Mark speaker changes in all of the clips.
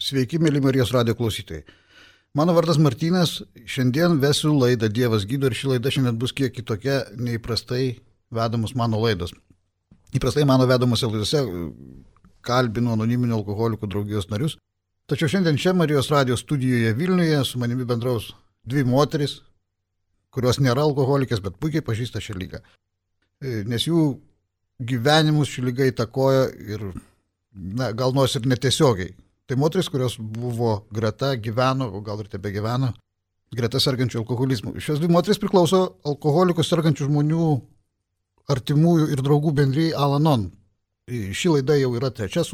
Speaker 1: Sveiki, mėly Marijos radijo klausytojai. Mano vardas Martynas, šiandien vesiu laidą Dievas gydo ir ši laida šiandien bus kiek kitokia neįprastai vedamos mano laidos. Įprastai mano vedamose laidose kalbinu anoniminių alkoholikų draugijos narius, tačiau šiandien čia Marijos radijo studijoje Vilniuje su manimi bendraus dvi moteris, kurios nėra alkoholikės, bet puikiai pažįsta šią lygą. Nes jų gyvenimus ši lyga įtakoja ir, gal nors ir netiesiogiai. Tai moteris, kurios buvo greta, gyveno, o gal ir tebe gyveno, greta sergančių alkoholizmų. Šios dvi moteris priklauso alkoholikų sergančių žmonių artimųjų ir draugų bendrijai Al-Anon. Ši laida jau yra trečia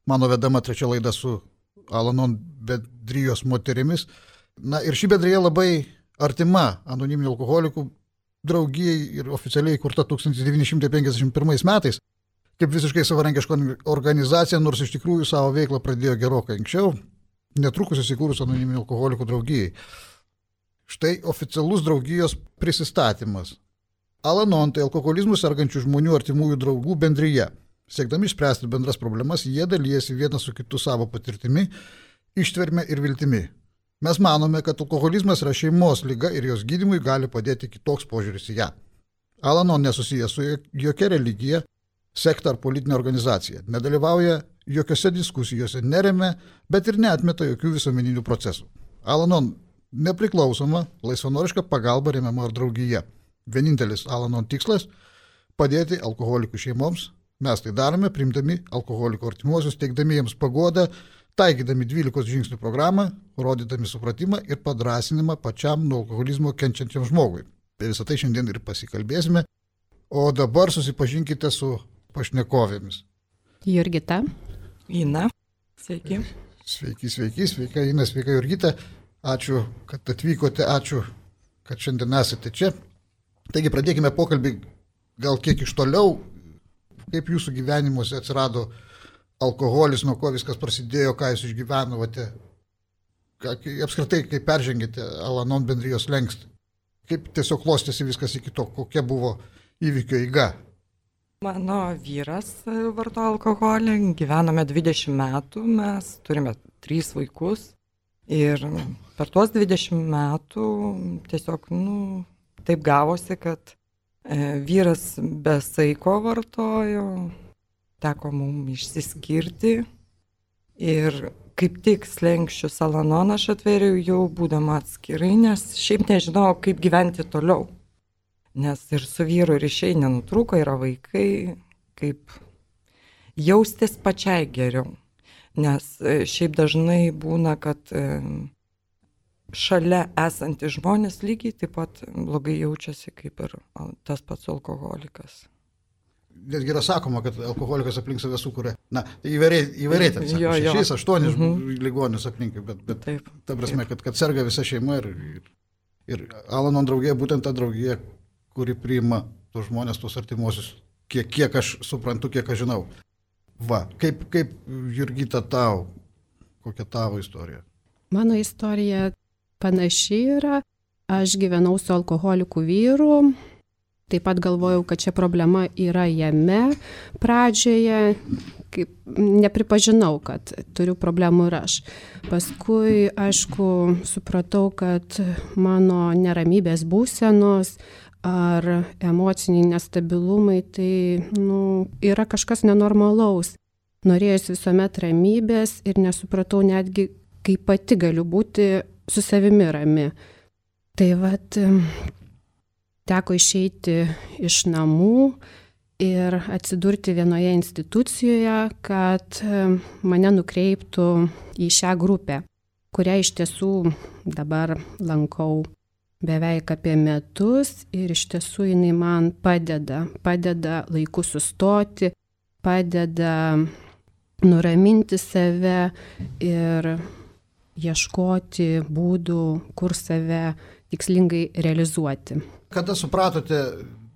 Speaker 1: mano vedama trečia laida su Al-Anon bendrijos moterimis. Ir ši bendrija labai artima anoniminių alkoholikų draugijai ir oficialiai įkurta 1951 metais. Kaip visiškai savarankiška organizacija, nors iš tikrųjų savo veiklą pradėjo gerokai anksčiau, netrukus įsikūrus anoniminių alkoholikų draugijai. Štai oficialus draugijos prisistatymas. Al-Anon tai alkoholizmų sergančių žmonių artimųjų draugų bendrija. Siekdami išspręsti bendras problemas, jie dalyjasi vienas su kitu savo patirtimi, ištverme ir viltimi. Mes manome, kad alkoholizmas yra šeimos liga ir jos gydymui gali padėti kitoks požiūris į ją. Al-Anon nesusijęs su jokia religija, sekta ar politinė organizacija, nedalyvauja jokiose diskusijose, neremia, bet ir neatmeta jokių visuomeninių procesų. Al-Anon nepriklausoma, laisvanoriška pagalba remiama ar draugija. Vienintelis Al-Anon tikslas – padėti alkoholikų šeimoms. Mes tai darome, priimdami alkoholikų artimuosius, teikdami jiems paguodą, taikydami 12 žingsnių programą, rodydami supratimą ir padrąsinimą pačiam nuo alkoholizmo kenčiančiam žmogui. Apie visą tai šiandien ir pasikalbėsime. O dabar susipažinkite su pašnekovėmis.
Speaker 2: Jurgita.
Speaker 3: Ina. Sveiki.
Speaker 1: Sveika Ina, sveika Jurgita. Ačiū, kad atvykote, ačiū, kad šiandien esate čia. Taigi pradėkime pokalbį gal kiek iš toliau, kaip jūsų gyvenimuose atsirado alkoholis, nuo ko viskas prasidėjo, ką jūs išgyvenote, apskritai, kaip peržengėte Al-Anon bendrijos slenkstį. Kaip tiesiog klostėsi viskas iki to, kokia buvo įvykio eiga.
Speaker 3: Mano vyras vartoja alkoholį, gyvename 20 metų, mes turime 3 vaikus ir per tuos 20 metų tiesiog, taip gavosi, kad vyras be saiko vartojo, teko mums išsiskirti ir kaip tik slenkščius Al-Anon aš atvėriau jau būdama atskirai, nes šiaip nežinau, kaip gyventi toliau. Nes ir su vyru ryšiai nenutrūko, yra vaikai, kaip jaustis pačiai geriau. Nes šiaip dažnai būna, kad šalia esantys žmonės lygiai taip pat blogai jaučiasi kaip ir tas pats alkoholikas.
Speaker 1: Netgi yra sakoma, kad alkoholikas aplink save sukuria, įvairiai ten sako, 6-8 ligonius aplink, bet taip, ta prasme, kad serga visa šeima ir Al-Anon draugija, būtent ta draugija, kuri priima tos žmonės, tos artimuosius, kiek aš suprantu, kiek aš žinau. Kaip Jurgita tau, kokia tavo istorija?
Speaker 2: Mano istorija panaši yra, aš gyvenau su alkoholiku vyru, taip pat galvojau, kad čia problema yra jame pradžioje, kaip nepripažinau, kad turiu problemų ir aš. Paskui, aišku, supratau, kad mano neramybės būsenos ar emociniai nestabilumai, tai yra kažkas nenormalaus. Norėjusi visuomet ramybės ir nesupratau netgi, kaip pati galiu būti su savimi rami. Tai teko išeiti iš namų ir atsidurti vienoje institucijoje, kad mane nukreiptų į šią grupę, kurią iš tiesų dabar lankau beveik apie metus ir iš tiesų jinai man padeda laiku sustoti, padeda nuraminti save ir ieškoti būdų, kur save tikslingai realizuoti.
Speaker 1: Kada supratote,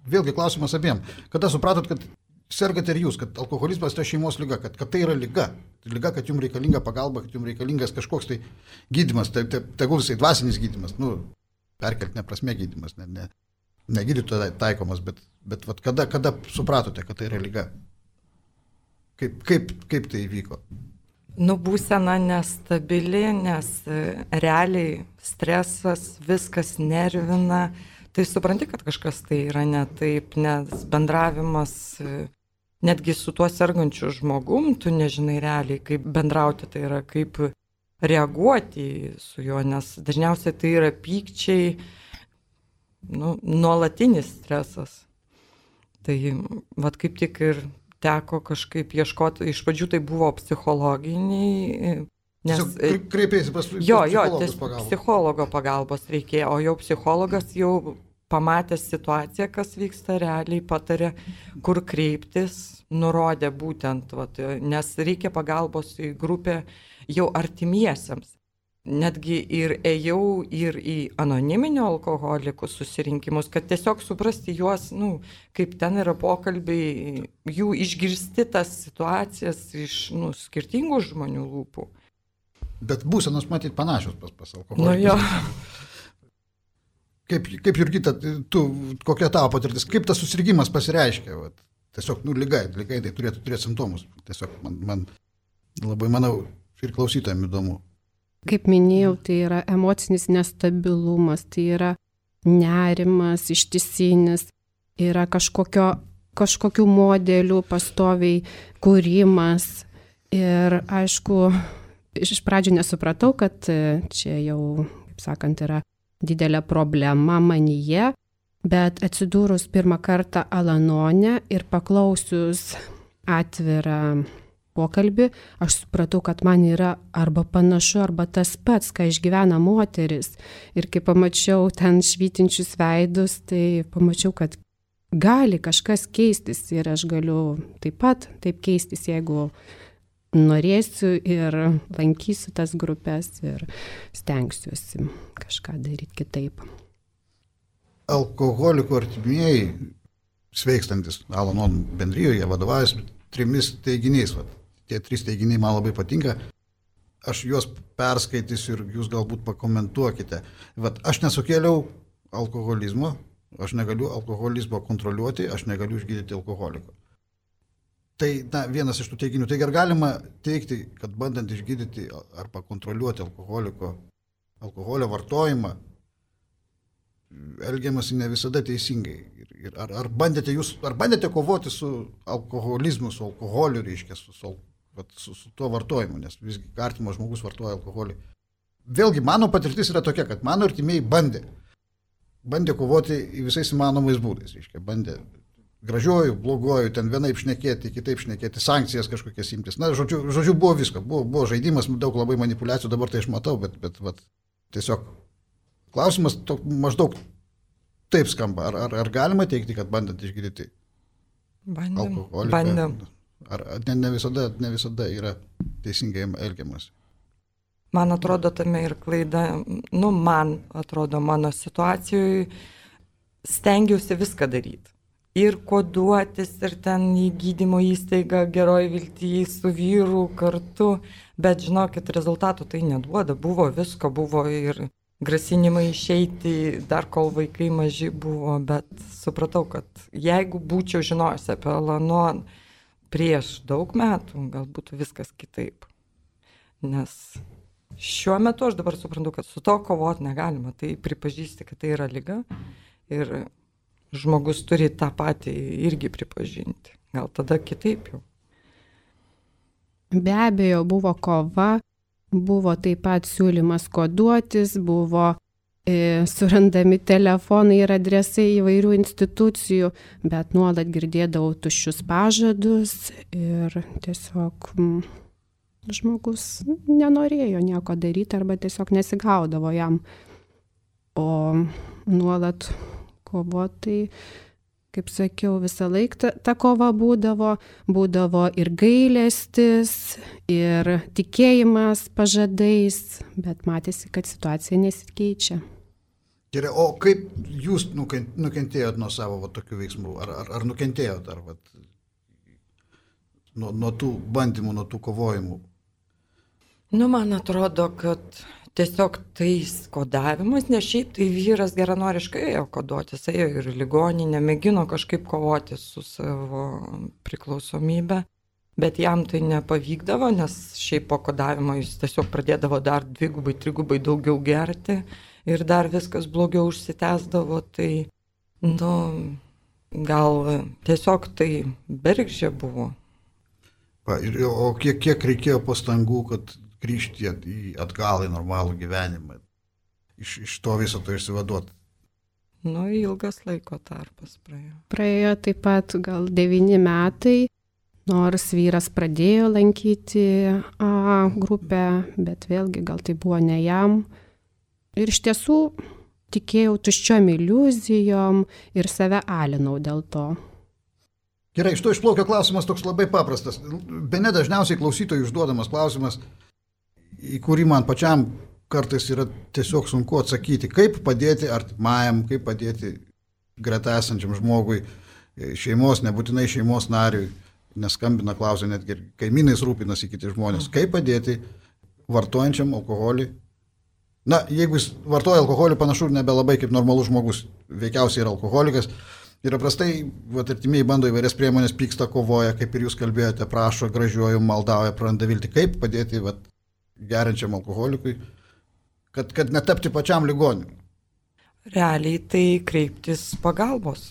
Speaker 1: vėlgi klausimas abiem, kada supratot, kad sergate ir jūs, kad alkoholizmas tai šeimos liga, kad tai yra liga, kad jums reikalinga pagalba, kad jums reikalingas kažkoks tai gydymas, tegul jisai dvasinis gydymas, perkeltinė prasme gydymas, ne gydytojo taikomas, bet kada supratote, kad tai yra liga? Kaip tai įvyko?
Speaker 3: Būsena nestabili, nes realiai stresas, viskas nervina. Tai supranti, kad kažkas tai yra ne taip, nes bendravimas netgi su tuo sergančiu žmogum, tu nežinai realiai, kaip bendrauti, tai yra kaip reaguoti su juo, nes dažniausiai tai yra pykčiai, nuolatinis stresas. Tai vat kaip tik ir teko kažkaip ieškoti, iš pradžių tai buvo psichologiniai, nes...
Speaker 1: Kreipėsi pas psichologus pagalbos.
Speaker 3: Psichologo pagalbos reikėjo, o jau psichologas jau pamatęs situaciją, kas vyksta realiai, patarė, kur kreiptis, nurodė būtent, nes reikia pagalbos į grupę jau artimiesiems. Netgi ir ėjau ir į anoniminio alkoholikų susirinkimus, kad tiesiog suprasti juos, kaip ten yra pokalbiai, jų išgirsti tas situacijas iš skirtingų žmonių lūpų.
Speaker 1: Bet būsenos matyti panašios pas alkoholikus.
Speaker 3: Jo.
Speaker 1: Kaip Jurgita, kokia tavo patirtis, kaip tas susirgimas pasireiškia? Tiesiog, ligai tai turėtų turėti simptomus. Tiesiog man labai, manau, ir klausytojams įdomu.
Speaker 2: Kaip minėjau, tai yra emocinis nestabilumas, tai yra nerimas ištisinis, yra kažkokių modelių pastoviai kūrimas. Ir aišku, iš pradžių nesupratau, kad čia jau, kaip sakant, yra didelė problema manyje, bet atsidūrus pirmą kartą Al-Anone ir paklausius atvirą pokalbį, aš supratau, kad man yra arba panašu, arba tas pats, ką išgyvena moteris. Ir kai pamačiau ten švytinčius veidus, tai pamačiau, kad gali kažkas keistis ir aš galiu taip pat taip keistis, jeigu norėsiu ir lankysiu tas grupės ir stengsiuosi kažką daryti kitaip.
Speaker 1: Alkoholikų artimieji, sveikstantis Al-Anon bendrijoje, vadovaujasi 3 teiginiais. Tie 3 teiginiai man labai patinka. Aš juos perskaitysiu ir jūs galbūt pakomentuokite. Aš nesukėliau alkoholizmo, aš negaliu alkoholizmo kontroliuoti, aš negaliu išgydyti alkoholiko. Tai vienas iš tų teiginių. Tai ar galima teigti, kad bandant išgydyti arba kontroliuoti alkoholio vartojimą, elgiamasi ne visada teisingai. Ar bandėte kovoti su alkoholizmu, su alkoholiu, reiškia, su tuo vartojimu, nes visgi artimas žmogus vartoja alkoholį. Vėlgi, mano patirtis yra tokia, kad mano artimieji bandė kovoti visais įmanomais būdais, reiškia, bandė gražiuoju, bloguoju, ten vienaip šnekėti, kitaip šnekėti, sankcijas kažkokias imtis. Žodžiu, buvo visko, buvo žaidimas, daug labai manipulacijų, dabar tai aš matau, bet tiesiog klausimas maždaug taip skamba. Ar galima teikti, kad bandant išgydyti alkoholiką?
Speaker 3: Bandėm.
Speaker 1: Ar ne visada yra teisingai elgiamas?
Speaker 3: Man atrodo, tame ir klaida, man atrodo, mano situacijoje stengiausi viską daryti. Ir koduotis, ir ten į gydymo įstaigą Geroj Viltyje su vyru kartu, bet žinokit, rezultatų tai neduoda. Buvo visko, buvo ir grasinimai išeiti, dar kol vaikai maži buvo, bet supratau, kad jeigu būčiau žinojusi apie Al-Anon prieš daug metų, gal būtų viskas kitaip. Nes šiuo metu aš dabar suprantu, kad su to kovoti negalima. Tai pripažįsti, kad tai yra liga ir žmogus turi tą patį irgi pripažinti. Gal tada kitaip jau.
Speaker 2: Be abejo, buvo kova, buvo taip pat siūlymas koduotis, buvo surandami telefonai ir adresai įvairių institucijų, bet nuolat girdėdavau tuščius pažadus ir tiesiog žmogus nenorėjo nieko daryti arba tiesiog nesigaudavo jam. O nuolat kovoti, kaip sakiau, visą laiką ta kova būdavo ir gailestis, ir tikėjimas pažadais, bet matėsi, kad situacija nesikeičia.
Speaker 1: Gerai, o kaip jūs nukentėjot nuo savo tokių veiksmų? Ar nukentėjot nuo tų bandymų, nuo tų kovojimų?
Speaker 3: Man atrodo, kad tiesiog tais kodavimas, nes šiaip tai vyras geranoriškai ėjo koduotis, ėjo ir ligoninę, mėgino kažkaip kovoti su savo priklausomybė, bet jam tai nepavykdavo, nes šiaip po kodavimo jis tiesiog pradėdavo dar 2-3 daugiau gerti ir dar viskas blogiau užsitęsdavo, tai, gal tiesiog tai bergždžia buvo.
Speaker 1: O kiek reikėjo pastangų, kad grįžti atgal į normalų gyvenimą, iš to viso to išsivaduoti?
Speaker 3: Ilgas laiko tarpas praėjo.
Speaker 2: Praėjo taip pat gal 9 metai, nors vyras pradėjo lankyti grupę, bet vėlgi gal tai buvo ne jam. Ir iš tiesų tikėjau tuščiom iliuzijom ir save alinau dėl to.
Speaker 1: Gerai, iš to išplaukia klausimas toks labai paprastas. Bene dažniausiai klausytojų užduodamas klausimas, į kurį man pačiam kartais yra tiesiog sunku atsakyti. Kaip padėti artimajam, kaip padėti greta esančiam žmogui, šeimos, nebūtinai šeimos nariui, neskambina, klausia, netgi kaimynais rūpinasi kiti žmonės. Kaip padėti vartojančiam alkoholį? Jeigu jis vartoja alkoholį, panašu nebelabai kaip normalus žmogus, veikiausiai yra alkoholikas. Ir paprastai artimieji bando įvairias priemonės, pyksta, kovoja, kaip ir jūs kalbėjote, prašo, gražiuoju, maldauja, praranda viltį. Kaip padėti geriančiam alkoholikui, kad netapti pačiam ligoniu?
Speaker 3: Realiai tai kreiptis pagalbos.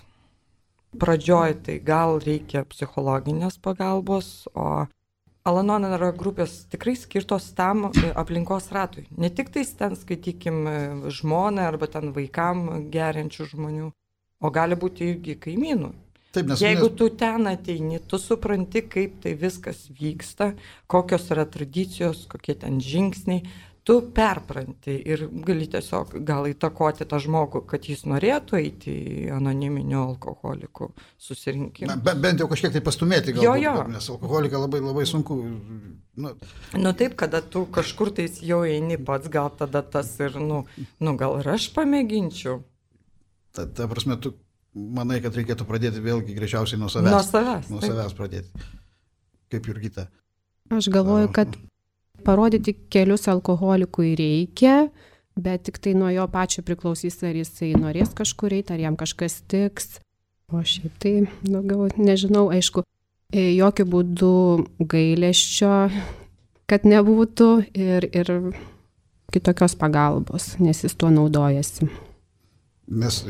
Speaker 3: Pradžioj tai gal reikia psichologinės pagalbos, o Al-Anon yra grupės tikrai skirtos tam aplinkos ratui. Ne tik tais ten, skaitykim, žmonai arba ten vaikam geriančių žmonių, o gali būti irgi kaimynų.
Speaker 1: Taip,
Speaker 3: jeigu tu ten ateini, tu supranti, kaip tai viskas vyksta, kokios yra tradicijos, kokie ten žingsniai, tu perpranti ir gali tiesiog gal įtakoti tą žmogų, kad jis norėtų eiti į anoniminių alkoholikų susirinkimą.
Speaker 1: Bent jau kažkiek tai pastumėti galbūt, nes alkoholiką labai, labai sunku.
Speaker 3: Taip, kada tu kažkur tai jau eini pats, gal tada tas ir, gal ir aš pamėginčiau.
Speaker 1: Ta prasme, tu manai, kad reikėtų pradėti vėlgi greičiausiai nuo savęs. Nuo savęs pradėti. Kaip Jurgita?
Speaker 2: Aš galvoju, kad parodyti kelius alkoholikui reikia, bet tik tai nuo jo pačio priklausys, ar jisai norės kažkur eiti, ar jam kažkas tiks. O šiaip tai daugiau nežinau, aišku, jokių būdų gailesčio, kad nebūtų ir kitokios pagalbos, nes jis tuo naudojasi.
Speaker 1: Nes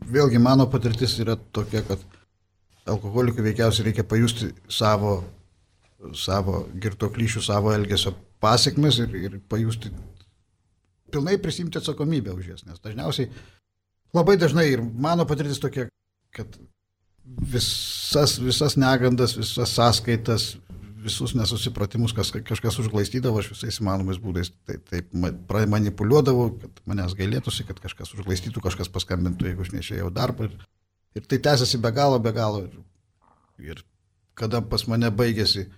Speaker 1: vėlgi mano patirtis yra tokia, kad alkoholikui veikiausiai reikia pajusti savo girtuoklyšių, savo elgesio pasekmes ir pajusti, pilnai prisimti atsakomybę už jas. Nes dažniausiai, labai dažnai ir mano patirtis tokia, kad visas negandas, visas sąskaitas, visus nesusipratimus, kažkas užglaistydavo, aš visais įmanomais būdais taip manipuliuodavau, kad manęs gailėtųsi, kad kažkas užglaistytų, kažkas paskambintų, jeigu aš neišėjau darbą. Ir tai tęsiasi be galo. Ir kada pas mane baigėsi,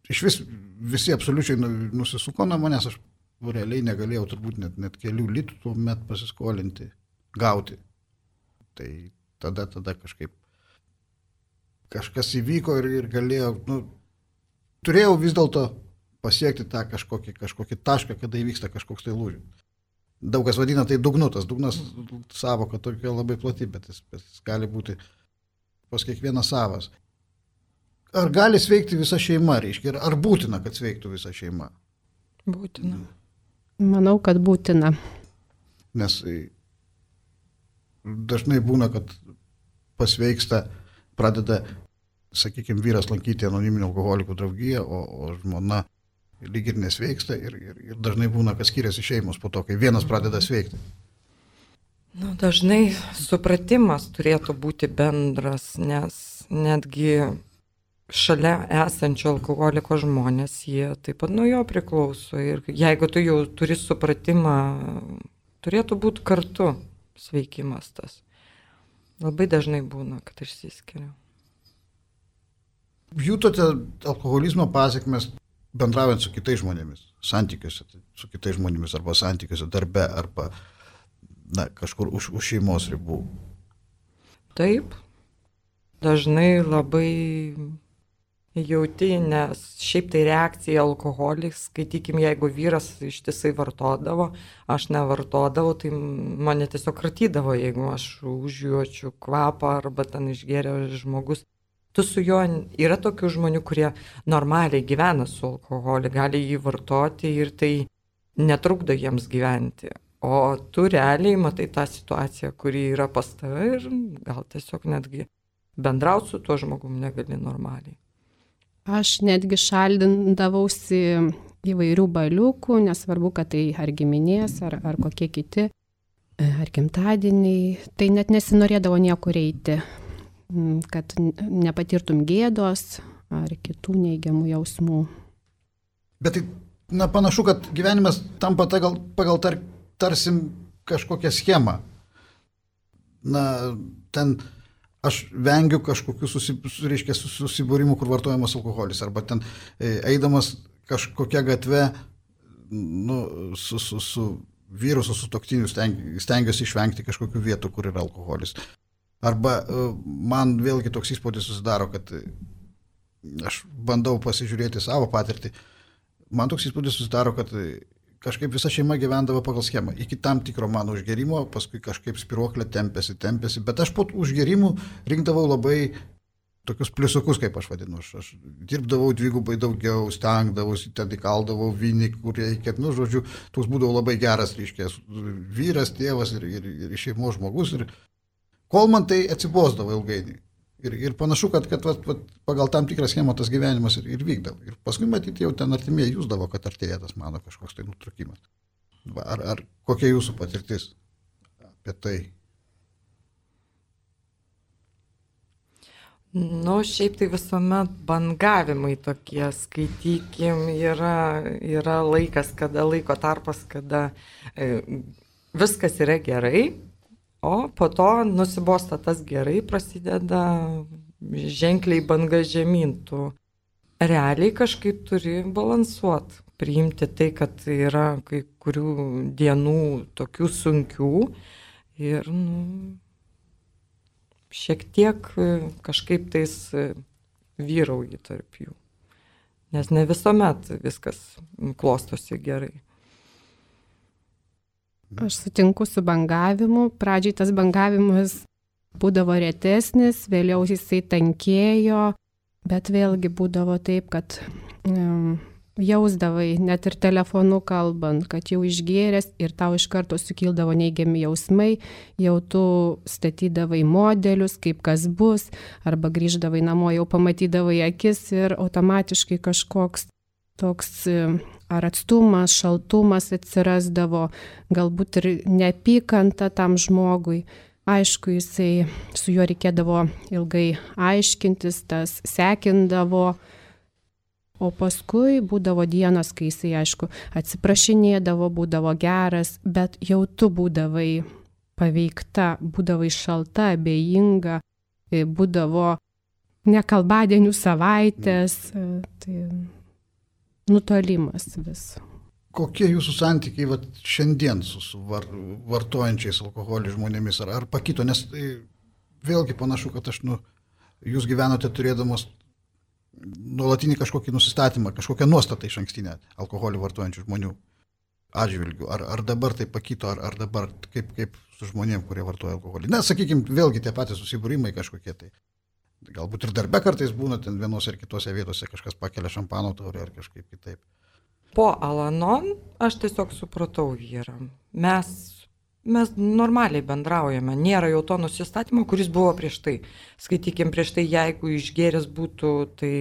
Speaker 1: visi absoliučiai nusisuko nuo manęs, aš realiai negalėjau turbūt net kelių litų tuomet pasiskolinti, gauti. Tai tada kažkaip kažkas įvyko ir galėjau, turėjau vis dėlto pasiekti tą kažkokį tašką, kada įvyksta kažkoks tai lūžis. Daug kas vadina tai dugnu, tas dugnas savoka tokia labai plati, bet jis gali būti pas kiekvieną savas. Ar gali sveikti visa šeima, reiškia, ar būtina, kad sveiktų visa šeima?
Speaker 3: Būtina.
Speaker 2: Manau, kad būtina.
Speaker 1: Nes dažnai būna, kad pasveiksta, pradeda, sakykime, vyras lankyti anoniminio alkoholikų draugiją, o žmona lyg ir nesveiksta ir dažnai būna, kad skiriasi šeimos po to, kai vienas pradeda sveikti.
Speaker 3: Dažnai supratimas turėtų būti bendras, nes netgi šalia esančio alkoholiko žmonės, jie taip pat nuo jo priklauso. Ir jeigu tu jau turi supratimą, turėtų būti kartu sveikimas tas. Labai dažnai būna, kad išsiskiria.
Speaker 1: Jūtote alkoholizmo pasekmes bendraujant su kitais žmonėmis, santykiuose su kitais žmonėmis arba santykiuose darbe arba kažkur už šeimos ribų?
Speaker 3: Taip, dažnai labai jauti, nes šiaip tai reakcija alkoholį, skaitykim, jeigu vyras ištisai vartodavo, aš nevartodavau, tai mane tiesiog kratydavo, jeigu aš užjuočiu kvapą arba ten išgėrė žmogus. tu su juo, yra tokių žmonių, kurie normaliai gyvena su alkoholiu, gali jį vartoti ir tai netrukdo jiems gyventi. O tu realiai matai tą situaciją, kuri yra pas tave ir gal tiesiog netgi bendrauti su tuo žmogum negali normaliai.
Speaker 2: Aš netgi šaldindavausi įvairių baliukų, nesvarbu, kad tai ar giminės, ar kokie kiti, ar gimtadieniai. Tai net nesinorėdavo niekur eiti, kad nepatirtum gėdos ar kitų neigiamų jausmų.
Speaker 1: Bet tai panašu, kad gyvenimas tampa pagal tarsim kažkokią schemą. Ten aš vengiu kažkokių susibūrimų, kur vartojamas alkoholis, arba ten eidamas kažkokią gatvę su vyru, su sutuoktiniu stengiuosi išvengti kažkokių vietų, kur yra alkoholis. Arba man vėlgi toks įspūdis susidaro, kad aš bandau pasižiūrėti savo patirtį, man toks įspūdis susidaro, kad kažkaip visa šeima gyvendavo pagal schemą. Iki tam tikro mano užgerimo, paskui kažkaip spiruoklė tempėsi, bet aš po užgerimų rinkdavau labai tokius pliusukus, kaip aš vadinu. Aš dirbdavau dvigubai daugiau, stengdavausi, ten įkaldavau vynį, kur reikia. Žodžiu, toks būdavo labai geras, reiškia, vyras, tėvas ir šeimos žmogus. Ir kol man tai atsibosdavo ilgainiui. Ir panašu, kad pagal tam tikrą schemą tas gyvenimas ir vykdavo. Ir paskui matyti jau ten artimieji jūsdavo, kad artėja tas mano kažkoks tai nutrūkimas. Ar kokia jūsų patirtis apie tai?
Speaker 3: Šiaip tai visuomet bangavimai tokie, skaitykim, yra laikas, laiko tarpas, kada viskas yra gerai. O po to nusibosta tas gerai, prasideda ženkliai banga žemyn. Tu realiai kažkaip turi balansuoti, priimti tai, kad yra kai kurių dienų tokių sunkių ir šiek tiek kažkaip tais vyrauji tarp jų. Nes ne visuomet viskas klostosi gerai.
Speaker 2: Aš sutinku su bangavimu. Pradžiai tas bangavimas būdavo retesnis, vėliau jisai tankėjo, bet vėlgi būdavo taip, kad jausdavai, net ir telefonu kalbant, kad jau išgėręs ir tau iš karto sukildavo neigiami jausmai, jau tu statydavai modelius, kaip kas bus, arba grįždavai namo, jau pamatydavai akis ir automatiškai kažkoks toks ar atstumas, šaltumas atsirasdavo, galbūt ir neapykanta tam žmogui. Aišku, jisai su juo reikėdavo ilgai aiškintis, tas sekindavo, o paskui būdavo dienos, kai jisai, aišku, atsiprašinėdavo, būdavo geras, bet jau tu būdavai paveikta, būdavai šalta, abejinga, būdavo nekalbadienių savaitės, tai nutolimas vis.
Speaker 1: Kokie jūsų santykiai šiandien su vartojančiais alkoholį žmonėmis, ar pakito? Nes vėlgi panašu, kad jūs gyvenote turėdamas nuolatinį kažkokį nusistatymą, kažkokią nuostatą iš ankstinę alkoholį vartojančių žmonių atžvilgių. Ar dabar tai pakito, ar dabar kaip su žmonėm, kurie vartoja alkoholį? Na, sakykime, vėlgi tie patys susibūrimai kažkokie tai. Galbūt ir darbe kartais būna ten vienose ar kitose vietose kažkas pakelia šampano taurę ar kažkaip kitaip.
Speaker 3: Po Alanon aš tiesiog supratau vyrą. Mes normaliai bendraujame, nėra jau to nusistatymo, kuris buvo prieš tai. Skaitykim, prieš tai, jeigu išgėręs būtų, tai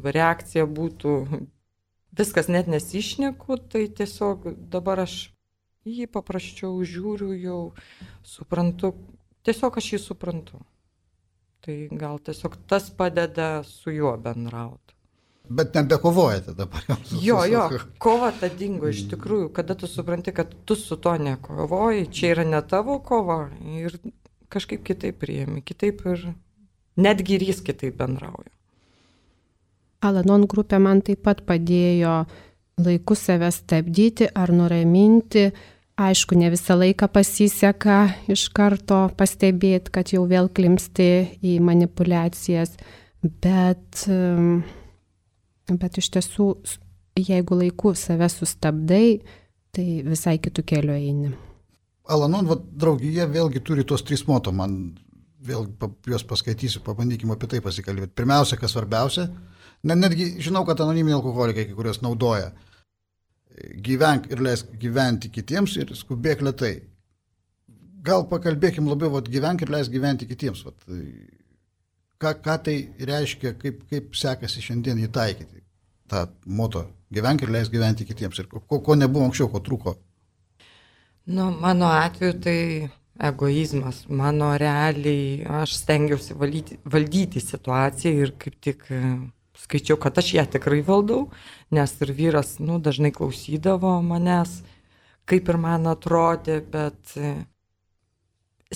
Speaker 3: reakcija būtų, viskas net nesišneku, tai tiesiog dabar aš jį paprasčiau žiūriu, jau suprantu, tiesiog aš jį suprantu. Tai gal tiesiog tas padeda su juo bendrauti.
Speaker 1: Bet nebekovojate dabar.
Speaker 3: Jo, kova ta dingo iš tikrųjų, kada tu supranti, kad tu su to nekovoji, čia yra ne tavo kova ir kažkaip kitaip priimi, kitaip ir netgi ir jis kitaip bendrauja.
Speaker 2: Alanon grupė man taip pat padėjo laiku save stabdyti ar nuraminti. Aišku, ne visą laiką pasiseka iš karto pastebėti, kad jau vėl klimpsti į manipulacijas, bet iš tiesų, jeigu laiku save sustabdai, tai visai kitų kelių eini.
Speaker 1: Alanon draugija vėlgi turi tos 3 moto, man vėl juos paskaitysiu, pabandykime apie tai pasikalbėti. Pirmiausia, kas svarbiausia, netgi žinau, kad anoniminiai alkoholikai kai kurios naudoja. Gyvenk ir leisk gyventi kitiems ir skubėk lėtai. Gal pakalbėkim labiau, gyvenk ir leisk gyventi kitiems. Ką tai reiškia, kaip sekasi šiandien įtaikyti tą moto gyvenk ir leisk gyventi kitiems ir ko nebuvo anksčiau, ko trūko?
Speaker 3: Mano atveju tai egoizmas. Mano realiai aš stengiausi valdyti situaciją ir kaip tik skaičiau, kad aš ją tikrai valdau, nes ir vyras dažnai klausydavo manęs, kaip ir man atrodė, bet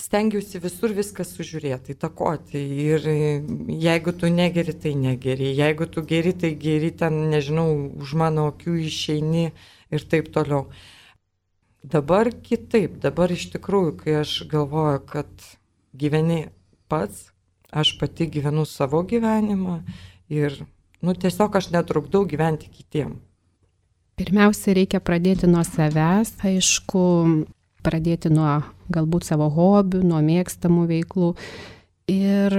Speaker 3: stengiausi visur viską sužiūrėti, įtakoti. Ir jeigu tu negeri, tai negeri. Jeigu tu geri, tai geri, ten, nežinau, už mano akių išeini ir taip toliau. Dabar kitaip, dabar iš tikrųjų, kai aš galvoju, kad gyveni pats, aš pati gyvenu savo gyvenimą ir tiesiog aš netrukdau gyventi kitiem.
Speaker 2: Pirmiausia, reikia pradėti nuo savęs, aišku, pradėti nuo galbūt savo hobių, nuo mėgstamų veiklų ir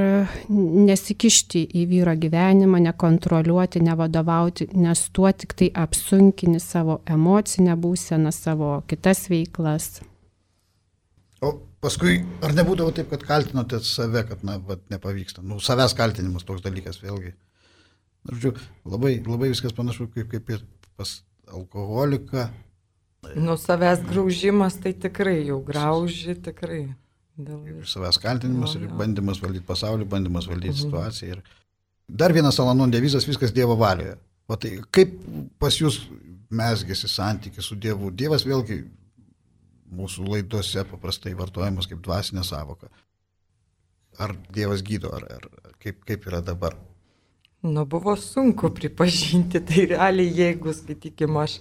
Speaker 2: nesikišti į vyro gyvenimą, nekontroliuoti, nevadovauti, nes tuo tik tai apsunkini savo emocinę būseną, savo kitas veiklas.
Speaker 1: O paskui, ar nebūdavo taip, kad kaltinote save, kad nepavyksta? Savęs kaltinimas toks dalykas vėlgi. Žodžiu, labai viskas panašu kaip ir pas alkoholiką.
Speaker 3: Savęs graužimas tai tikrai jau grauži, tikrai.
Speaker 1: Savęs kaltinimas ir bandymas valdyti pasaulį, bandymas valdyti situaciją. Ir dar vienas Al-Anon devizas, viskas Dievo valioje. O tai kaip pas jūs mezgėsi santykis su Dievu? Dievas vėlgi mūsų laidose paprastai vartojamas kaip dvasinė sąvoka. Ar Dievas gydo, ar kaip yra dabar?
Speaker 3: Buvo sunku pripažinti, tai realiai jeigu, skaitykim, aš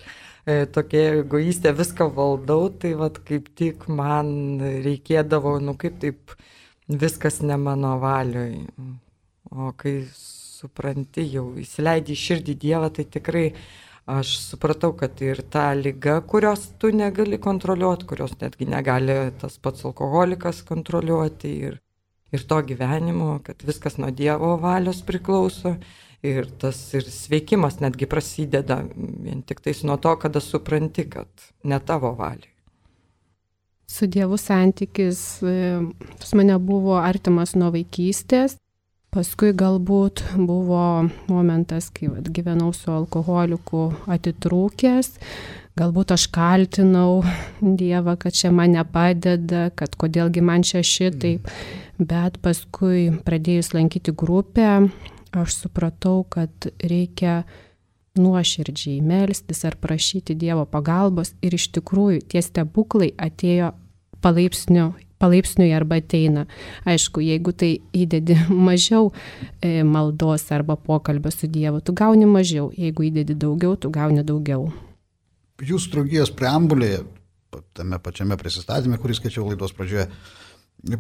Speaker 3: tokia egoistė viską valdau, tai kaip tik man reikėdavo, kaip taip viskas ne mano valioj. O kai supranti, jau įsileidži į širdį Dievą, tai tikrai aš supratau, kad ir ta liga, kurios tu negali kontroliuoti, kurios netgi negali tas pats alkoholikas kontroliuoti ir to gyvenimo, kad viskas nuo Dievo valios priklauso. Ir tas ir sveikimas netgi prasideda vien tik tais nuo to, kada supranti, kad ne tavo valiai.
Speaker 2: Su Dievu santykis pas mane buvo artimas nuo vaikystės. Paskui galbūt buvo momentas, kai gyvenau su alkoholiku atitrūkęs. Galbūt aš kaltinau Dievą, kad čia man nepadeda, kad kodėlgi man čia šitaip. Bet paskui pradėjus lankyti grupę, aš supratau, kad reikia nuoširdžiai melstis ar prašyti Dievo pagalbos ir iš tikrųjų tie stebuklai atėjo palaipsniui arba ateina. Aišku, jeigu tai įdedi mažiau maldos arba pokalbio su Dievu, tu gauni mažiau, jeigu įdedi daugiau, tu gauni daugiau.
Speaker 1: Jūsų draugijos preambulėje, tame pačiame prisistatyme, kurį skaičiau laidos pradžioje,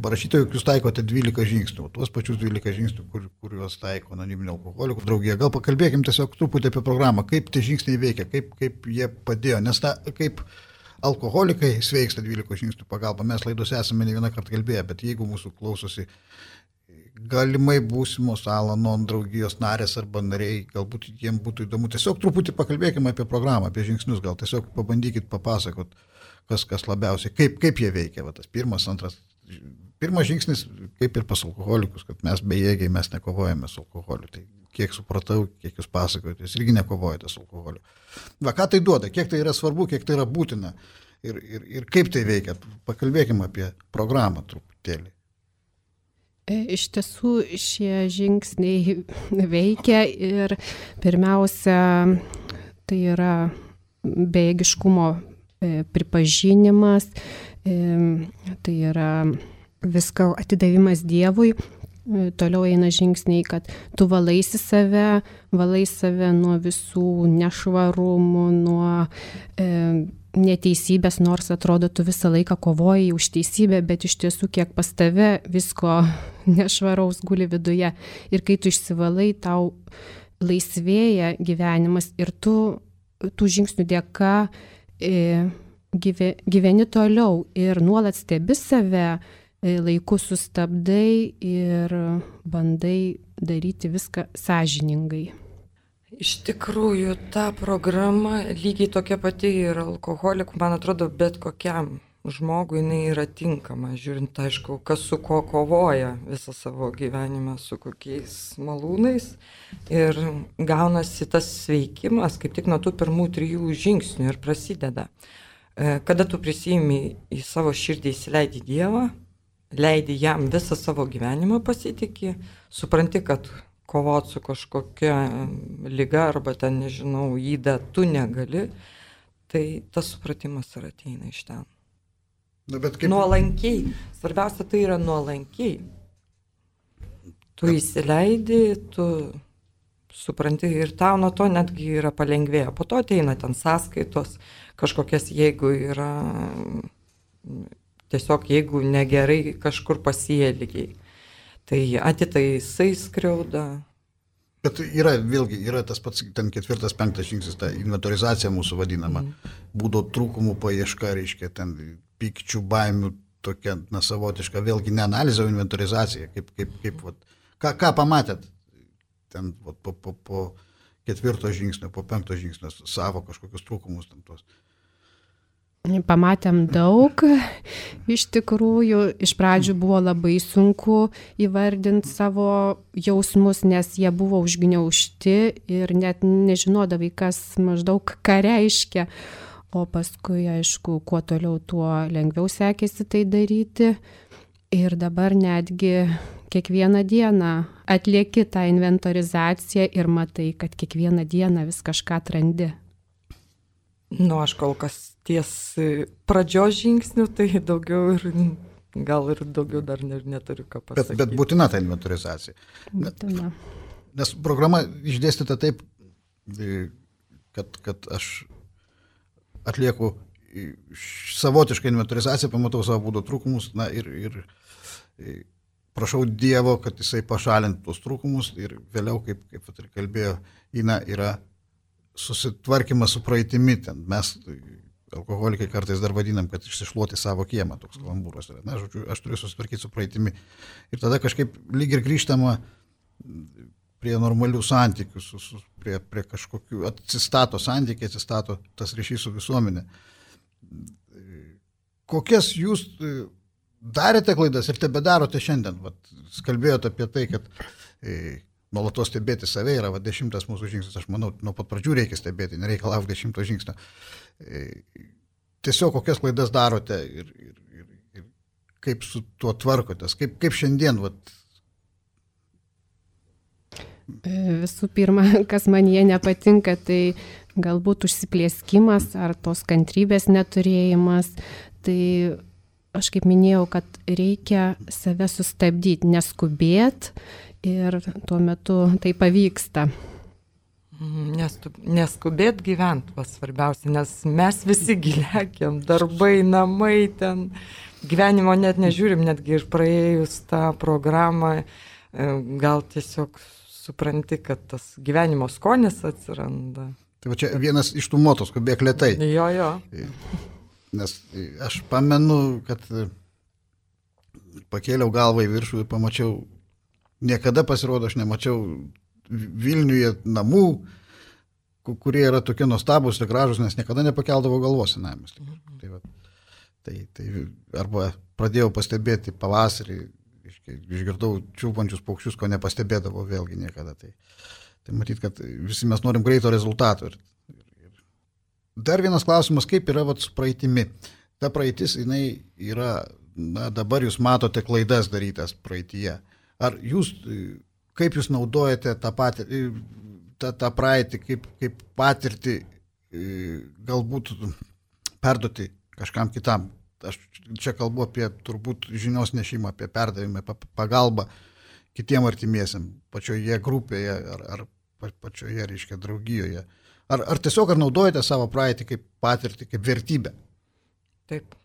Speaker 1: parašyta, jog jūs taikote 12 žingsnių, tuos pačius 12 žingsnių, kuriuos taiko anoniminių alkoholikų draugija. Gal pakalbėkim tiesiog truputį apie programą, kaip tie žingsniai veikia, kaip jie padėjo, nes kaip alkoholikai sveiksta 12 žingsnių pagalba. Mes laidose esame ne vieną kartą kalbėję, bet jeigu mūsų klausosi galimai būsimos Al-Anon draugijos narės arba nariai, galbūt jiems būtų įdomu, tiesiog truputį pakalbėkime apie programą, apie žingsnius, gal tiesiog pabandykit papasakot, kas labiausiai, kaip jie veikia, tas pirmas, antras. Pirmas žingsnis, kaip ir pas alkoholikus, kad mes bejėgiai, mes nekovojame su alkoholiu. Tai kiek supratau, kiek jūs pasakojate, jūs irgi nekovojate su alkoholiu. Ką tai duoda, kiek tai yra svarbu, kiek tai yra būtina ir kaip tai veikia. Pakalbėkime apie programą truputėlį.
Speaker 2: Iš tiesų šie žingsniai veikia ir pirmiausia, tai yra bejėgiškumo pripažinimas, tai yra visko atidavimas Dievui. Toliau eina žingsniai, kad tu valai save nuo visų nešvarumų, nuo neteisybės, nors atrodo tu visą laiką kovoji už teisybę, bet iš tiesų kiek pas tave visko nešvaraus guli viduje. Ir kai tu išsivalai, tau laisvėja gyvenimas ir tu tų žingsnių dėka gyveni toliau ir nuolat stebi save, laiku sustabdai ir bandai daryti viską sąžiningai.
Speaker 3: Iš tikrųjų, ta programa lygiai tokia pati ir alkoholikų, man atrodo, bet kokiam žmogui jinai yra tinkama, žiūrint, aišku, kas su ko kovoja visą savo gyvenimą, su kokiais malūnais. Ir gaunasi tas sveikimas, kaip tik nuo tų pirmų 3 žingsnių ir prasideda. Kada tu prisimi į savo širdį, įsileidi Dievą, leidi jam visą savo gyvenimą pasitikį, supranti, kad kovot su kažkokia liga arba ten, nežinau, įda tu negali, tai tas supratimas ir ateina iš ten.
Speaker 1: Kaip...
Speaker 3: Nuolankiai. Svarbiausia tai yra nuolankiai. Tu įsileidi, tu supranti ir tau nuo to netgi yra palengvėję. Po to ateina ten sąskaitos, kažkokias, jeigu yra, tiesiog jeigu negerai kažkur pasielgiai. Tai atitaisai skriauda.
Speaker 1: Bet yra tas pats, ten 4-5 žingsnis, ta inventorizacija mūsų vadinama, būdo trūkumų paieška, reiškia, ten pykčių, baimių, tokia, savotiška, vėlgi ne analizė, o inventorizacija, ką pamatėt ten po 4 žingsnio, po 5 žingsnio, savo kažkokius trūkumus tam tos.
Speaker 2: Pamatėm daug, iš tikrųjų, iš pradžių buvo labai sunku įvardinti savo jausmus, nes jie buvo užgniaužti ir net nežinodavai, kas maždaug ką reiškia, o paskui, aišku, kuo toliau, tuo lengviau sekėsi tai daryti ir dabar netgi kiekvieną dieną atlieki tą inventorizaciją ir matai, kad kiekvieną dieną vis kažką atrandi.
Speaker 3: Aš kol kas ties pradžios žingsnių, tai daugiau ir gal ir daugiau dar neturiu ką pasakyti.
Speaker 1: Bet būtina ta inventorizacija.
Speaker 2: Būtina.
Speaker 1: Nes programa išdėstyta taip, kad aš atlieku savotišką inventorizaciją, pamatau savo būdo trūkumus, ir prašau Dievo, kad jisai pašalintų tos trūkumus ir vėliau, kaip kalbėjo Ina, yra susitvarkymas su praeitimi. Ten mes, alkoholikai, kartais dar vadinam, kad išsišluoti savo kiemą, toks kalambūras yra. Žodžiu, aš turiu susitvarkyti su praeitimi. Ir tada kažkaip lyg ir grįžtama prie normalių santykių, prie kažkokių, atsistato santykiai, atsistato tas ryšys su visuomenė. Kokias jūs darėte klaidas ir tebedarote šiandien? Kalbėjote apie tai, kad nuolatos stebėti save yra 10 mūsų žingsnis, aš manau, nuo pat pradžių reikia stebėti, nereikia laukti 10 žingsnio. Tiesiog kokias klaidas darote ir kaip su tuo tvarkotės, kaip šiandien?
Speaker 2: Visų pirma, kas man jie nepatinka, tai galbūt užsiplėskimas ar tos kantrybės neturėjimas. Tai aš kaip minėjau, kad reikia save sustabdyti, neskubėti. Ir tuo metu tai pavyksta.
Speaker 3: Neskubėt gyvent, svarbiausia, nes mes visi gilekėm, darbai, namai ten, gyvenimo net nežiūrim, netgi ir praėjus tą programą, gal tiesiog supranti, kad tas gyvenimo skonis atsiranda.
Speaker 1: Tai čia vienas iš tų moto, skubėk lėtai.
Speaker 3: Jo.
Speaker 1: Nes aš pamenu, kad pakėliau galvą į viršų ir pamačiau, niekada pasirodo, aš nemačiau Vilniuje namų, kurie yra tokie nuostabus ir gražus, nes niekada nepakeldavo galvos senamis. Tai arba pradėjau pastebėti pavasarį, išgirdau čiulbančius paukščius, ko nepastebėdavo vėlgi niekada. Tai matyt, kad visi mes norim greito rezultato. Dar vienas klausimas, kaip yra su praeitimi. Ta praeitis, jinai yra, dabar jūs matote klaidas darytas praeityje. Ar jūs, kaip jūs naudojate tą praeitį, kaip patirtį galbūt perduoti kažkam kitam? Aš čia kalbu apie turbūt žinios nešimą, apie perdavimą, pagalbą kitiem artimiesiam, pačioje grupėje ar pačioje, reiškia, draugijoje. Ar tiesiog naudojate savo praeitį kaip patirtį, kaip vertybę?
Speaker 3: Taip.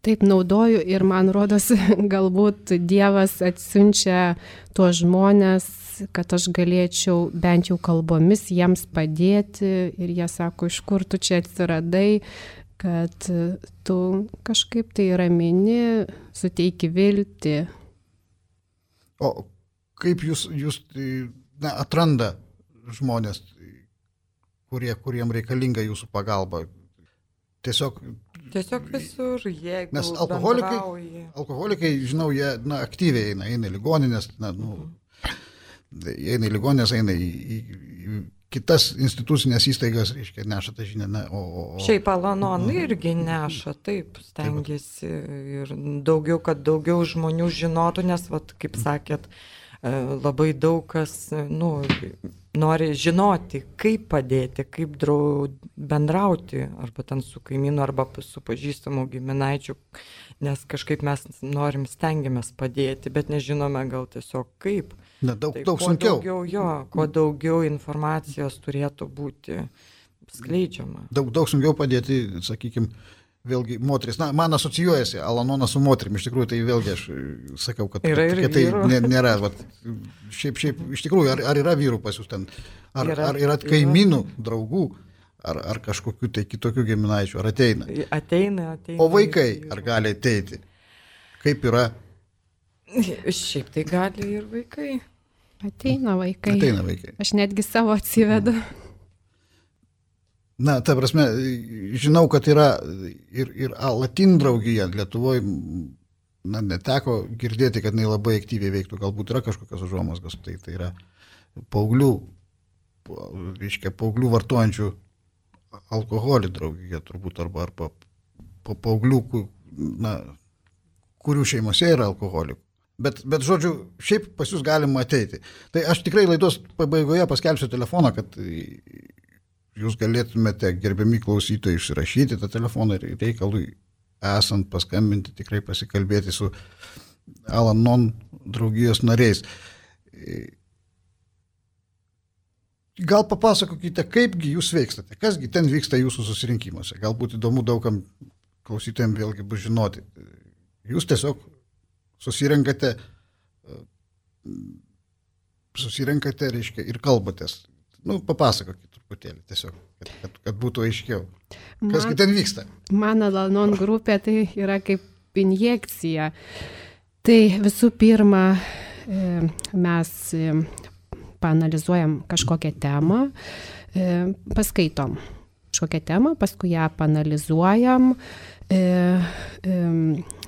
Speaker 2: Taip naudoju ir man rodos, galbūt Dievas atsiunčia tuos žmonės, kad aš galėčiau bent jau kalbomis jiems padėti ir jie sako, iš kur tu čia atsiradai, kad tu kažkaip tai ramini, suteiki viltį.
Speaker 1: O kaip jūs atranda žmonės, kuriem reikalinga jūsų pagalba? Tiesiog
Speaker 3: visur, jeigu
Speaker 1: nes alkoholikai, žinau, jie aktyviai eina į ligoninės, eina į ligoninės, eina į kitas institucinės įstaigas, reiškia, neša tą žinią.
Speaker 3: Šiaip Al-Anon irgi neša, taip, stengiasi ir daugiau, kad daugiau žmonių žinotų, nes, kaip sakėt, labai daug kas nori žinoti, kaip padėti, kaip bendrauti, arba ten su kaimynu, arba su pažįstamu giminaičiu, nes kažkaip mes stengiamės padėti, bet nežinome gal tiesiog kaip.
Speaker 1: Daug sunkiau.
Speaker 3: Kuo daugiau informacijos turėtų būti skleidžiama.
Speaker 1: Daug sunkiau padėti, sakykime, vėlgi moteris. Man asocijuojasi Al-Anonas su moterim, iš tikrųjų, tai vėlgi aš sakau, kad tai nėra. Šiaip, iš tikrųjų, ar yra vyrų pas jūs ten, ar yra kaimynų, draugų, ar kažkokių tai kitokių giminaičių, ar ateina?
Speaker 3: Ateina.
Speaker 1: O vaikai, ar gali ateiti? Kaip yra?
Speaker 3: Šiaip tai gali ir vaikai.
Speaker 2: Ateina vaikai.
Speaker 1: Aš
Speaker 2: netgi savo atsivedu.
Speaker 1: Ta prasme, žinau, kad yra ir Latin draugija Lietuvoje, neteko girdėti, kad jinai labai aktyviai veiktų, galbūt yra kažkokios užuomazgos, tai yra paauglių vartojančių alkoholį draugija turbūt, arba paauglių, kurių šeimose yra alkoholikų. Bet žodžiu, šiaip pas jūs galima ateiti. Tai aš tikrai laidos pabaigoje paskelbsiu telefoną, kad jūs galėtumėte, gerbiami klausytojai, išsirašyti tą telefoną ir reikalui esant paskambinti, tikrai pasikalbėti su Al-Anon draugijos nariais. Gal papasakokite, kaipgi jūs veikstate, kasgi ten vyksta jūsų susirinkimuose. Galbūt įdomu daugam klausytojams vėlgi bus žinoti. Jūs tiesiog susirenkate, reiškia, ir kalbatės. Papasakokit truputėlį tiesiog, kad būtų aiškiau. Kasgi ten vyksta?
Speaker 2: Mano Al-Anon grupė tai yra kaip injekcija. Tai visų pirma, mes paanalizuojam kažkokią temą, paskaitom kažkokią temą, paskui ją paanalizuojam.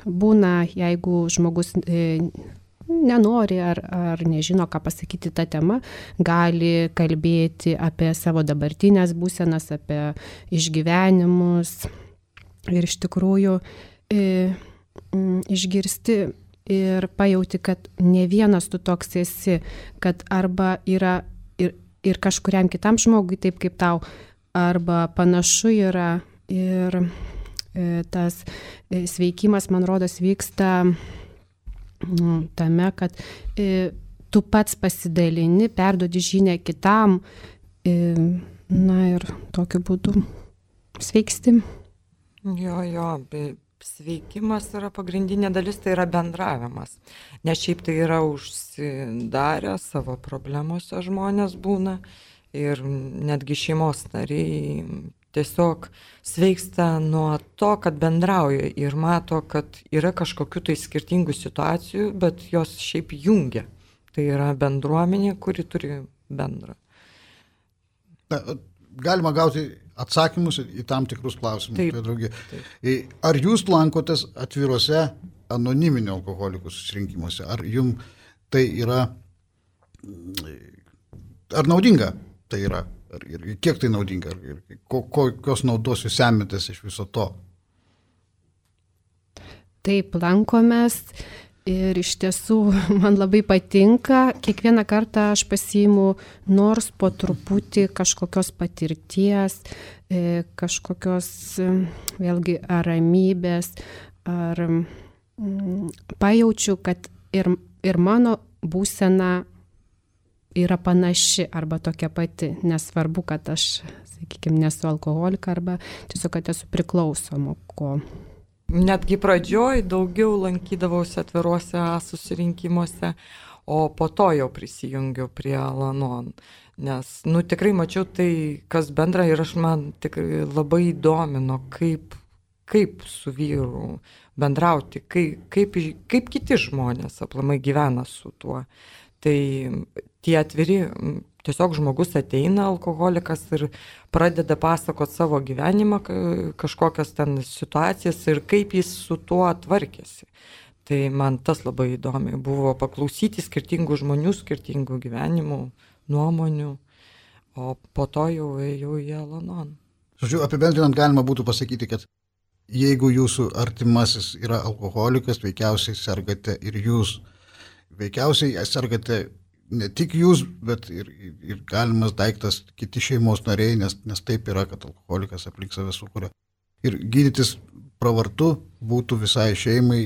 Speaker 2: Būna, jeigu žmogus nenori ar nežino, ką pasakyti tą temą, gali kalbėti apie savo dabartinės būsenas, apie išgyvenimus. Ir iš tikrųjų išgirsti ir pajauti, kad ne vienas tu toks esi, kad arba yra ir kažkuriam kitam žmogui taip kaip tau, arba panašu yra. Ir tas sveikimas, man rodos, vyksta tame, kad tu pats pasidalini, perduodi žinią kitam, ir tokiu būdu sveiksti.
Speaker 3: Sveikimas yra pagrindinė dalis, tai yra bendravimas. Nes šiaip tai yra užsidarę savo problemose žmonės būna ir netgi šeimos nariai tiesiog sveiksta nuo to, kad bendrauja ir mato, kad yra kažkokių tai skirtingų situacijų, bet jos šiaip jungia. Tai yra bendruomenė, kuri turi bendrą.
Speaker 1: Galima gauti atsakymus į tam tikrus klausimus.
Speaker 3: Taip.
Speaker 1: Ar jūs lankotės atviruose anoniminių alkoholikų susirinkimuose? Ar jums tai yra, ar naudinga tai yra? Ir kiek tai naudinga? Ir kokios naudos jūs semitės iš viso to?
Speaker 2: Taip, lankomės. Ir iš tiesų man labai patinka, kiekvieną kartą aš pasiimu nors po truputį kažkokios patirties, kažkokios vėlgi ramybės, ar pajaučiu, kad ir mano būsena yra panaši arba tokia pati, nesvarbu, kad aš, sakykime, nesu alkoholika arba tiesiog, kad esu priklausoma ko.
Speaker 3: Netgi pradžioj daugiau lankydavausi atviruose susirinkimuose, o po to jau prisijungiau prie Al-Anon. Nes, tikrai mačiau tai, kas bendra ir man tikrai labai įdomino, kaip kaip su vyru bendrauti, kaip kiti žmonės aplamai gyvena su tuo. Tai tie atviri, tiesiog žmogus ateina, alkoholikas, ir pradeda pasakoti savo gyvenimą, kažkokias ten situacijas ir kaip jis su tuo tvarkėsi. Tai man tas labai įdomi buvo paklausyti skirtingų žmonių, skirtingų gyvenimų, nuomonių, o po to jau ėjau į Al-Anon.
Speaker 1: Žodžiu, apibendrinant galima būtų pasakyti, kad jeigu jūsų artimasis yra alkoholikas, veikiausiai sergate ir jūs. Veikiausiai sergate ne tik jūs, bet ir galimas daiktas kiti šeimos nariai, nes taip yra, kad alkoholikas aplink save sukuria. Ir gydytis pravartu būtų visai šeimai.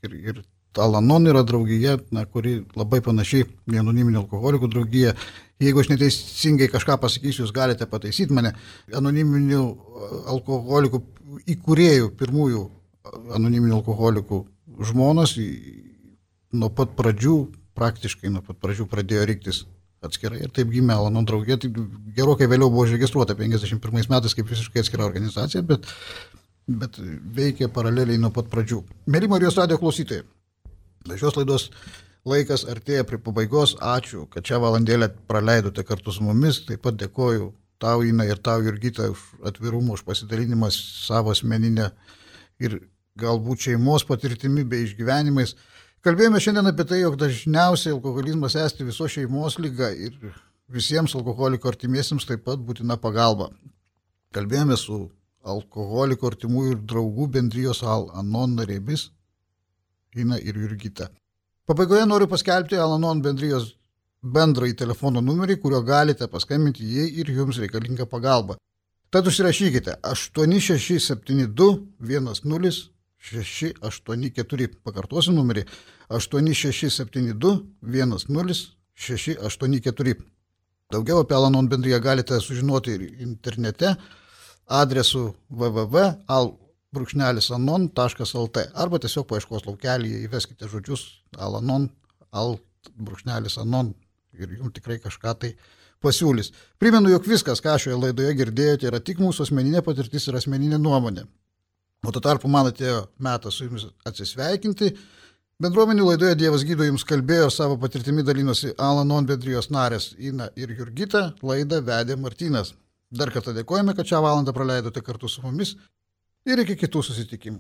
Speaker 1: Ir Al-Anon yra draugija, kuri labai panašiai į anoniminių alkoholikų draugiją. Jeigu aš neteisingai kažką pasakysiu, jūs galite pataisyti mane. Anoniminių alkoholikų įkūrėjų, pirmųjų anoniminių alkoholikų žmonos nuo pat pradžių pradėjo riktis atskirai. Ir taip gimė Al-Anon draugija. Tai gerokai vėliau buvo užregistruota 51 metais kaip visiškai atskira organizacija, bet veikė paraleliai nuo pat pradžių. Mėly Marijos radijo klausytojai, šios laidos laikas artėja prie pabaigos. Ačiū, kad šią valandėlę praleidote kartu su mumis. Taip pat dėkoju tau, Ina, ir tau, Jurgita, už atvirumą, už pasidalinimą savo asmeninę ir galbūt šeimos patirtimi bei išgyvenimais. Kalbėjome šiandien apie tai, jog dažniausiai alkoholizmas esti visos šeimos liga ir visiems alkoholiko artimiesiems taip pat būtina pagalba. Kalbėjome su alkoholiko artimųjų ir draugų bendrijos Al-Anon narėmis Ina ir Jurgita. Pabaigoje noriu paskelbti Al-Anon bendrijos bendrąjį telefono numerį, kuriuo galite paskambinti, jei ir jums reikalinga pagalba. Tad užsirašykite 8672 10 684. Pakartosiu numerį 8672 10 684. Daugiau apie Al-Anon bendriją galite sužinoti ir internete adresu www.al-anon.lt arba tiesiog paieškos laukelyje įveskite žodžius Al-Anon, Al-Anon ir jums tikrai kažką tai pasiūlys. Primenu, jog viskas, ką šioje laidoje girdėjote, yra tik mūsų asmeninė patirtis ir asmeninė nuomonė. O tuo tarpu man atėjo metas su jumis atsisveikinti. Bendruomenių laidoje Dievas gydo jums kalbėjo, savo patirtimi dalinosi Al-Anon bendrijos narės Ina ir Jurgita, laidą vedė Martynas. Dar kartą dėkojame, kad šią valandą praleidote kartu su mumis ir iki kitų susitikimų.